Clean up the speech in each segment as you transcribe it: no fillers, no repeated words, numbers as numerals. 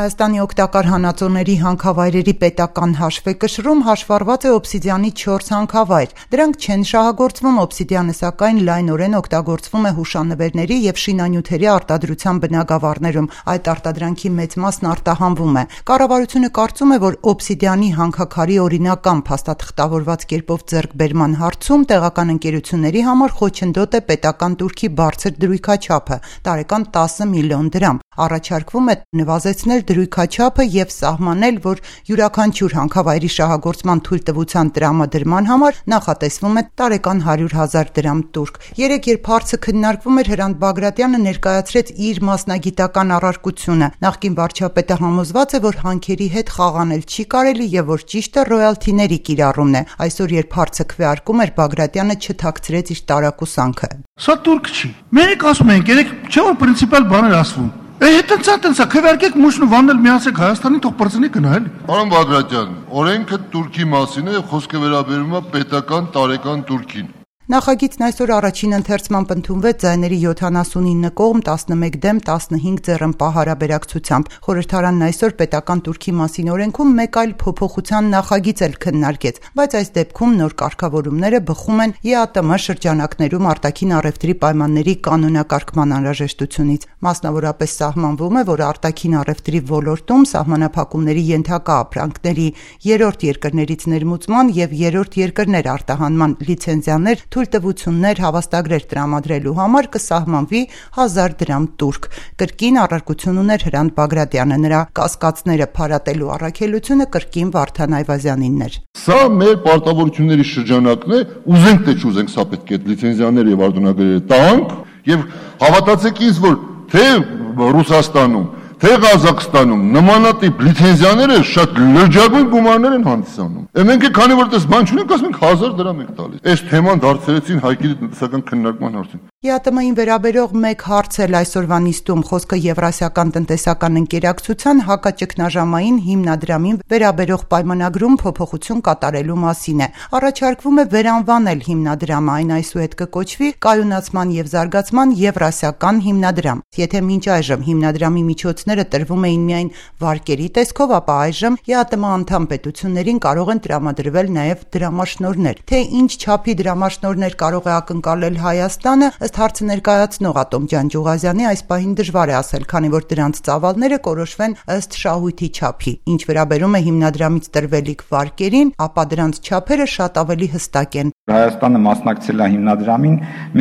Հայաստանի օգտակար հանածոների հանքավայրերի պետական հաշվեկշռում հաշվառված է օբսիդիանի 4 հանքավայր։ Դրանք չեն շահագործվում, օբսիդիանը սակայն լայնորեն օգտագործվում է հուշանվերների եւ շինանյութերի արտադրության բնագավառներում։ Այդ արտադրանքի մեծ մասն արտահանվում է։ Կառավարությունը կարծում է, որ օբսիդիանի հանքաքարի օրինական փաստաթղթավորված կերպով ձեռքբերման հարցում տեղական ընկերությունների համար խոչընդոտ է պետական տուրքի բարձր դրույքաչափը՝ տարեկան 10 միլիոն դրամ։ Առաջարկվում է նվազեցնել դրույքաչափը եւ սահմանել, որ յուրաքանչյուր հանքավայրի շահագործման թույլտվության տրամադրման համար նախատեսվում է տարեկան 100,000 դրամ տուրք։ Երեկ, երբ հարցը քննարկվում էր, Հրանտ Բագրատյանը ներկայացրեց իր մասնագիտական առարկությունը։ Նախկին վարչապետը համոզված է, որ հանքերի հետ խաղանել չի կարելի եւ որ ճիշտը ռոյալթիների կիրառումն է։ Այսօր, երբ հարցը քվեարկում էր, Բագրատյանը չթաքցրեց իր տարակուսանքը։ Սա տուրք չի։ Մենք ասում ենք, երեք չէ՞ որ պրինցիպալ բաներ ասվում։ Հետո քվեարկեք մուշն ու վանել միացեք Հայաստանի թող բրծնի գնալ։ Պարոն Բագրատյան, օրենքը Տուրքի մասին է, խոսքը վերաբերում է պետական տարեկան Տուրքին։ Նախագիծն այսօր առաջին ընթերցմամբ ընդունվեց ձայների 79 կողմ, 11 դեմ, 15 ձեռնպահ հարաբերակցությամբ։ Խորհրդարանն այսօր պետական Տուրքի մասին օրենքում մեկ այլ փոփոխության նախագիծ էլ քննարկեց, բայց այս դեպքում նոր կարգավորումները բխում են ԵԱՏՄ շրջանակներում արտաքին առևտրի պայմանների կանոնակարգման անհրաժեշտությունից։ Մասնավորապես սահմանվում է, որ արտաքին առևտրի ոլորտում սահմանափակումների ենթակա ապրանքների երրորդ երկրներից ներմուծման եւ երրորդ երկրներ արտահանման լիցենզիաներ թույլտվություններ հավաստագրեր տրամադրելու համար կսահմանվի 1000 դրամ տուրք։ Կրկին առարկություն ուներ Հրանտ Բագրատյանը, նրա կասկածները փարատելու առաքելությունը կրկին Վարդան Այվազյանինն էր։ Սա մեր պարտավորությունների շրջանակն է, ուզենք թե չուզենք, սա պետք է լիցենզիաներ եւ արտոնագրեր տանք եւ հավատացեք ինձ, որ թե Ռուսաստանում թե Ղազախստանում նմանատիպ լիցենզիաները շատ լրջագույն գումարներ են հանդիսանում։ Մենք քանի որ դες բան չունենք, ասում ենք 1000 դրամ եք տալիս։ Այս թեման դարձրեցին Հայկի տնտեսական քննարկման հարցին։ ԵԱՏՄ-ին վերաբերող մեկ հարց էլ այսօրվա նիստում խոսքը Եվրասիական տնտեսական ընկերակցության հակաճգնաժամային հիմնադրամին վերաբերող պայմանագրում փոփոխություն կատարելու մասին է։ Առաջարկվում է վերանվանել հիմնադրամը, այն այսուհետ կկոչվի Կայունացման եւ զարգացման Եվրասիական հիմնադրամ։ Եթե մինչ այժմ հիմնադրամի միջոցները տրվում էին միայն վարկերի տեսքով, ապա այժմ ԵԱՏՄ անդամ պետություններին կարող են տրամադրվել նաև դրամաշնորհներ։ Թե ինչ չափի դրամաշնորհներ կարող է ակնկալել Հայաստանը, ըստ հարցը ներկայացնող Ատոմ Ջանջուղազյանի, այս պահին դժվար է ասել, քանի որ դրանց ծավալները կորոշվեն ըստ շահույթի չափի։ Ինչ վերաբերում է հիմնադրամից տրվելիք վարկերին, ապա դրանց չափերը շատ ավելի հստակ են։ Հայաստանը մասնակցել է հիմնադրամին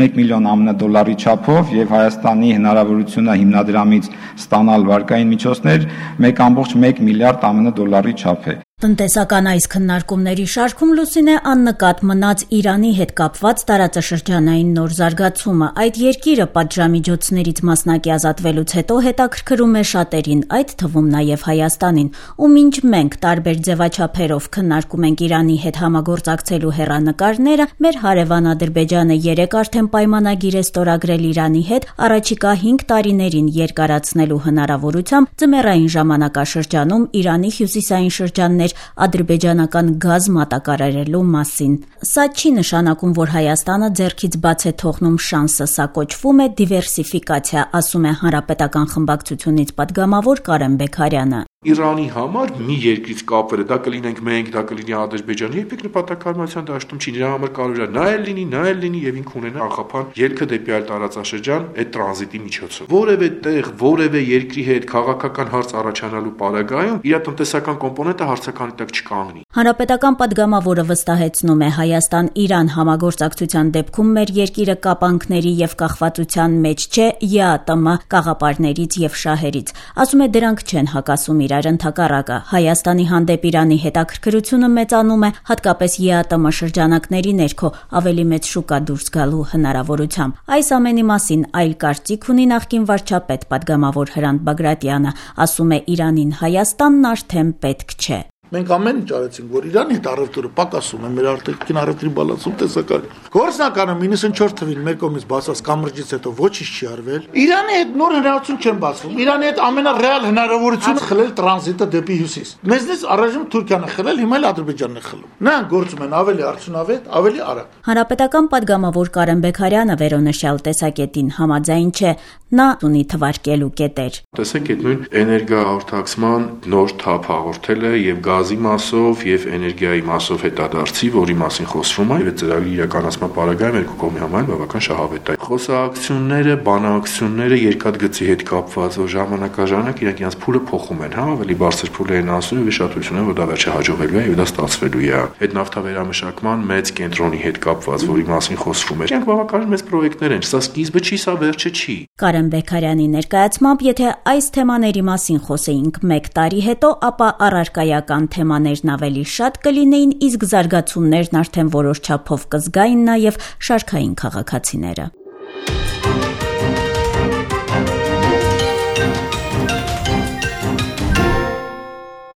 1 միլիոն ԱՄՆ չափով եւ Հայաստանի հնարավորությունը հիմնադրամից ստանալ վարկային միջոցներ 1.1 միլիարդ ԱՄՆ չափ է։ Տնտեսական այս քննարկումների շարքում Լուսինե աննկատ մնաց Իրանի հետ կապված տարածաշրջանային նոր զարգացումը։ Այդ երկիրը պատժամիջոցներից մասնակի ազատվելուց հետո հետաքրքրում է շատերին, այդ թվում նաև Հայաստանին, ու մինչ մենք տարբեր ձևաչափերով քննարկում ենք Իրանի հետ համագործակցելու հեռանկարները, մեր հարևան Ադրբեջանը երեկ արդեն պայմանագիր է ստորագրել Իրանի հետ առաջիկա 5 տարիներին երկարացնելու հնարավորությամբ ձմեռային ժամանակաշրջանում Իրանի հյուսիսային շրջաններ ադրբեջանական գազ մատակարարելու մասին։ Սա չի նշանակում, որ Հայաստանը ձեռքից բաց է թողնում շանսը, սա կոչվում է դիվերսիֆիկացիա, ասում է Հանրապետական խմբակցությունից падգամավոր Կարեն Բեգարյանը։ Իրանի համար մի երկրից կապվելը, դա կլինենք մենք, դա կլինի Ադրբեջանը, երբեք նպատակարարության դաշտում չի, նրա համար կարող է նա էլ լինի եւ ինքը ունենա աղափան ելքը դեպի այլ տարածաշրջան այդ տրանզիտի միջոցով։ Որևէ տեղ, որևէ երկրի հետ քաղաքական հարց առաջանալու պարագայում իր տնտեսական կոմպոնենտը հարցականի տակ չկանգնի։ Հանրապետական падգամավորը վստահեցնում է, Հայաստան-Իրան համագործակցության դեպքում մեր երկիրը կապանքների եւ կախվածության մեջ չէ ԵԱՏՄ կաղապարներից եւ շահերից։ Ասում է, դրանք չեն հակասում իրար, ընդհակառակը Հայաստանի հանդեպ Իրանի հետաքրքրությունը մեծանում է, հատկապես ԵԱՏՄ շրջանակների ներքո ավելի մեծ շուկա դուրս գալու հնարավորությամբ։ Այս ամենի մասին այլ կարծիք ունի նախկին վարչապետ падգամավոր Հրանտ Բագրատյանը, ասում է, Իրանին Հայաստանն արդեն պետք չէ։ Մենք ամեն ինչ արեցինք, որ Իրանի հետ առևտուրը պակասում է, մեր արտաքին առևտրի բալանսում տեսակարի։ Գործնականում 94 թվին մեր կողմից բացված կամրջից հետո ոչինչ չի արվել։ Իրանի հետ նոր հնարավորություն չեն բացվում։ Իրանի հետ ամենառեալ հնարավորությունը խլել տրանզիտը դեպի հյուսիս։ Մեզնից առայժմ Թուրքիան է խլել, հիմա էլ Ադրբեջանն է խլում։ Նրանք գործում են ավելի արդյունավետ, ավելի արագ։ Հանրապետական падգամավոր Կարեն Բեգարյանը վերոնշյալ տեսակետին համաձայն չէ, նա ունի թվարկելու կետեր։ Տեսեք, այդ նույն էներգահաղորդակցման նոր թափ հաղորդելը եւ գազի մասով եւ էներգիայի մասով հետադարձի, որի մասին խոսվում է, եւ ծրագրի իրականացման պարագայում երկու կողմի համար բավական շահավետ է։ Խոսակցությունները, բանակցությունները երկաթգծի հետ կապված, որ ժամանակաժանակ իրենք իրենց փուլը փոխում են, ավելի բարձր փուլեր են ասում եւ հիշատվություն է, որ դա վերջը հաջողելու է եւ դա ստացվելու է։ Այդ նավթավերամշակման մեծ կենտրոնի հետ կապված, որի մասին խոսվում է։ Իրենք բավական մեծ պրոյեկտներ են, սա սկիզբը չի, սա վերջը չի։ Կարեն Բեգարյանի ներկայացմամբ, եթե այս թեմաների մասին խոսեինք 1 տարի հետո, ապա առարկայական թեմաներն ավելի շատ կլինեին, իսկ զարգացումներն արդեն որոշ չափով կզգային նաև շարքային քաղաքացիները։